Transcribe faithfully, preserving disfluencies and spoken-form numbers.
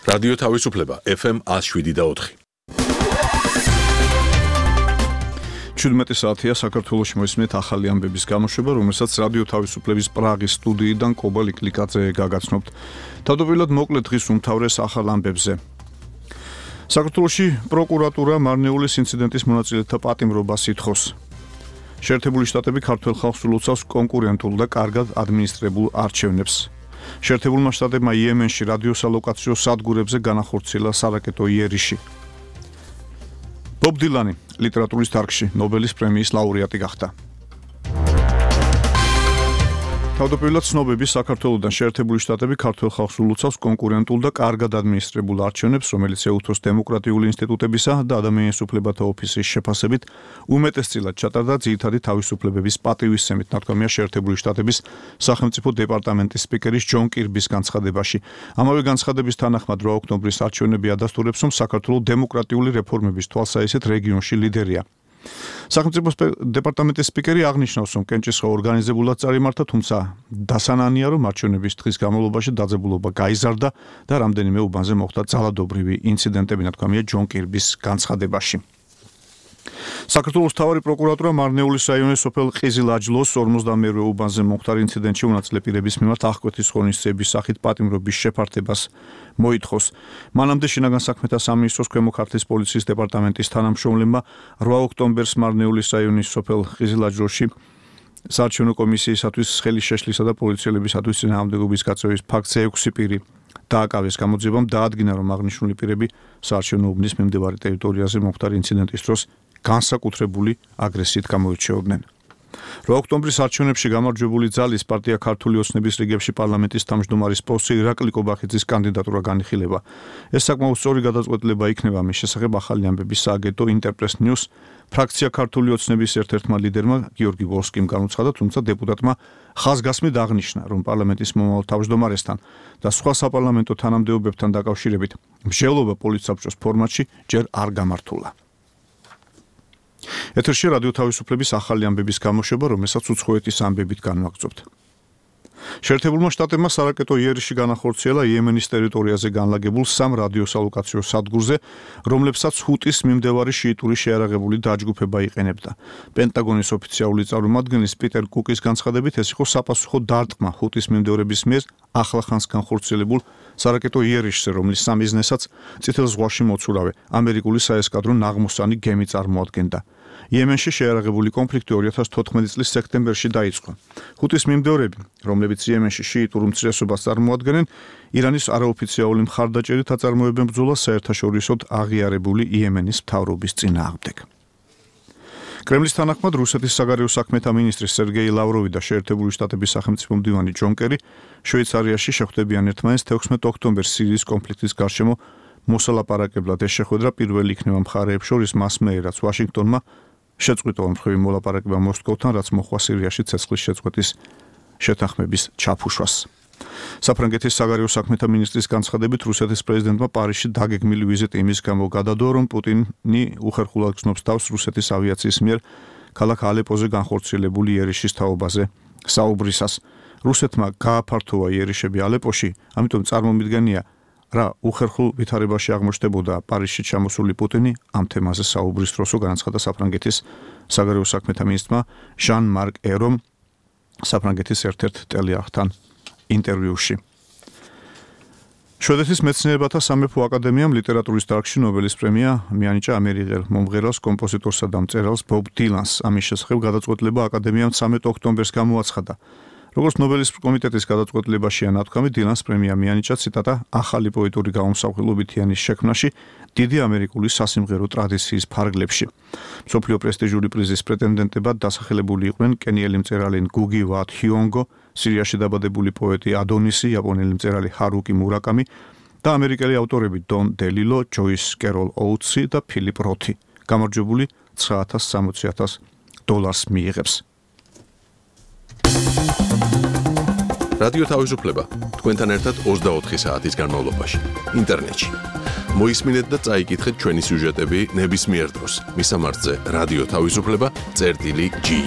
რადიო თავისუფლება ეფ ემ one oh seven და four. შვიდმეტი საათია საქართველოში მოისმენთ ახალი ამბების გამოშვება, რომელსაც რადიო თავისუფლების პრაღის სტუდიიდან კობა ლიკლიკაძე გაგაცნობთ. თავდაპირველად მოკლედ დღის უმთავრეს ახალ ამბებზე. საქართველოში პროკურატურა მარნეულის ინციდენტის მონაწილეთა პატიმრობას ითხოვს. შეერთებული შტატები ქართველ ხალხს ულოცავს კონკურენტულ და კარგად ადმინისტრებულ არჩევნებს. შეერთებულმა შტატებმა იემენში რადიოსალოკაციო სადგურებზე განახორციელა სარაკეტო იერიში. ბობ დილანი ლიტერატურის დარგში ნობელის პრემიის ლაურეატი გახდა. თავდაპირველად ცნობები საქართველოდან შეერთებული შტატები ქართველ ხალხს ულოცავს კონკურენტულ და კარგად ადმინისტრებულ არჩევნებს, რომელიც ეუთოს დემოკრატიული ინსტიტუტებისა და ადამიანის უფლებათა ოფისის შეფასებით უმეტესწილად ჩატარდა ძირითადი თავისუფლებების პატივისცემით, ნათქვამია შეერთებული შტატების სახელმწიფო დეპარტამენტის სპიკერის ჯონ კირბის განცხადებაში. ამავე განცხადების თანახმად რვა ოქტომბრის არჩევნები ადასტურებს, რომ საქართველოს დემოკრატიული რეფორმების თვალსაჩინო რეგიონში ლიდერია. სახელმწიფო დეპარტამენტის სპიკერი აღნიშნავს, რომ კენჭისყრა ორგანიზებულად წარიმართა, თუმცა დასანანია, რომ არჩევნების დღის განმავლობაში დაძაბულობა გაიზარდა და რამდენიმე უბანზე მოხდა ძალადობრივი ინციდენტები, ნათქვამია ჯონ კირბის განცხადებაში. საქართველოს მთავარი პროკურატურა მარნეულის რაიონის სოფელ ყიზილ-აჯლოს ორმოცდამეერვე უბანზე მომხდარ ინციდენტში უნაწილე პირების მიმართ აღკვეთის ღონისძიების სახით პატიმრობის შეფართებას მოითხოვს. მანამდე შინაგან საქმეთა სამინისტროს ქვემო ქართლის პოლიციის დეპარტამენტის თანამშრომლებმა რვა ოქტომბერს მარნეულის რაიონის სოფელ ყიზილ-აჯლოში საარჩევნო კომისიისათვის ხელი შეშლისა და პოლიციელებისათვის წინააღმდეგობის გაწევის ფაქტზე ექვსი პირი დააკავეს. გამოძიებამ დაადგინა, რომ აღნიშნული პირები საარჩევნო უბნის მიმდებარე ტერიტორიაზე მომხდარ ინციდენტის დროს განსაკუთრებული აგრესიით გამოირჩეოდნენ. რვა ოქტომბრის არჩევნებში გამარჯვებული ძალის პარტია ქართული ოცნების რიგებში პარლამენტის თავმჯდომარის პოსტზე ირაკლი კობახიძის კანდიდატურა განიხილება. ეს საკმაოდ სწორი გადაწყვეტილება იქნება, მის შესახებ ახალი ამბების სააგენტო ინტერპრეს ნიუს ფრაქცია ქართული ოცნების ერთ-ერთმა ლიდერმა გიორგი ვოლსკიმ განუცხადა, თუმცა დეპუტატმა ხაზგასმით აღნიშნა, რომ პარლამენტის მომავალ თავმჯდომარესთან და სხვა საპარლამენტო თანამდებობებთან დაკავშირებით მსჯელობა პოლიტსაბჭოს ფორმატში ჯერ არ გამართულა. ეთერში რადიო თავისუფლების ახალი ამბების გამოშვება, რომელსაც უცხოეთის ამბებით განვაგრძობთ. შეერთებულმა შტატებმა სარაკეტო იერიში განახორციელა იემენის ტერიტორიაზე განლაგებულ სამ რადიოსალოკაციო სადგურზე, რომლებსაც ჰუტის მიმდევარი შიიტური შეიარაღებული დაჯგუფება იყენებდა. პენტაგონის ოფიციალური წარმომადგენლის პიტერ კუკის განცხადებით, ეს იყო საპასუხო დარტყმა ჰუტის მიმდევრების მიერ ახლახანს განხორციელებულ სარაკეტო იერიშზე, რომლის სამიზნესაც წითელ ზღვაში მოცურავე ამერიკული საესკადრო ნაღმოსანი გემი წარმოადგენდა. იემენში შეიარაღებული კონფლიქტი ორი ათას თოთხმეტი წლის სექტემბერში დაიწყო. ჰუტის მიმდევრები, რომლებიც იემენში შიიტურ უმცირესობას წარმოადგენენ, ირანის არაოფიციალური მხარდაჭერით აწარმოებენ ბრძოლას საერთაშორისოდ აღიარებული იემენის მთავრობის წინააღმდეგ. კრემლის თანახმად რუსეთის საგარეო საქმეთა მინისტრი სერგეი ლავროვი და შეერთებული შტატების სახელმწიფო მდივანი ჯონ კერი შვეიცარიაში შეხვდებიან ერთმანეთს თექვსმეტი ოქტომბერს სირიის კონფლიქტის გარშემო მოსალაპარაკებლად. ეს შეხვედრა პირველი იქნება მხარეებს შორის მასმე, რაც ვაშინგტონმა შეწყვიტა ომხრივი მოლაპარაკება მოსკოვთან, რაც მოხდა სირიაში ცეცხლის შეწყვეტის შეთანხმების ჩაფუშვას. საფრანგეთის საგარეო საქმეთა მინისტრის განცხადებით, რუსეთის პრეზიდენტმა პარიზში დაგეგმილი ვიზიტი იმის გამო გადადო, რომ პუტინი უხერხულად გრძნობს თავს რუსეთის ავიაციის მიერ ქალაქ ალეპოზე განხორციელებული იერიშის თაობაზე საუბრისას. რუსეთმა გააფართოვა იერიშები ალეპოში, ამიტომ წარმომიდგენია, რა უხერხულ ვითარებაში აღმოჩნდებოდა პარიზში ჩამოსული პუტინი ამ თემაზე საუბრის დროსო, განაცხადა საფრანგეთის საგარეო საქმეთა მინისტრმა ჟან-მარკ ერომ საფრანგეთის ერთ-ერთ ტელეარხთან ინტერვიუში. შვედეთის მეცნიერებათა სამეფო აკადემიამ ლიტერატურის დარგში ნობელის პრემია მიანიჭა ამერიკელ მომღერალს, კომპოზიტორსა და მწერალს ბობ დილანს. ამის შესახებ გადაწყვეტილება აკადემიამ ცამეტი ოქტომბერს გამოაცხადა. როგორც ნობელის კომიტეტის გადაწყვეტილებაშია ნათქვამი, დილანს პრემია მიანიჭა ციტატა ახალი პოეტური გამომსახველობითიანის შექმნაში დიდი ამერიკული სასიმღერო ტრადიციის ფარგლებში. მსოფლიო პრესტიჟული პრიზის პრეტენდენტებად დასახელებული იყვნენ კენიელი მწერალი გუგი ვატ ჰიონგო, სირიაში დაბადებული პოეტი ადონისი, იაპონელი მწერალი ჰარუკი მურაკამი და ამერიკელი ავტორები დონ დელილო, ჯოის კეროლ ოუთსი და ფილიპ როთი. გამარჯვებული ცხრა ათას სამოცი ათას დოლარს მიიღებს. რადიო თავისუფლება თქვენთან ერთად ოცდაოთხი საათის განმავლობაში ინტერნეტში. მოისმინეთ და წაიკითხეთ ჩვენი სიუჟეტები ნებისმიერ დროს. მისამართზე რადიო თავისუფლება წერტილი ჯი.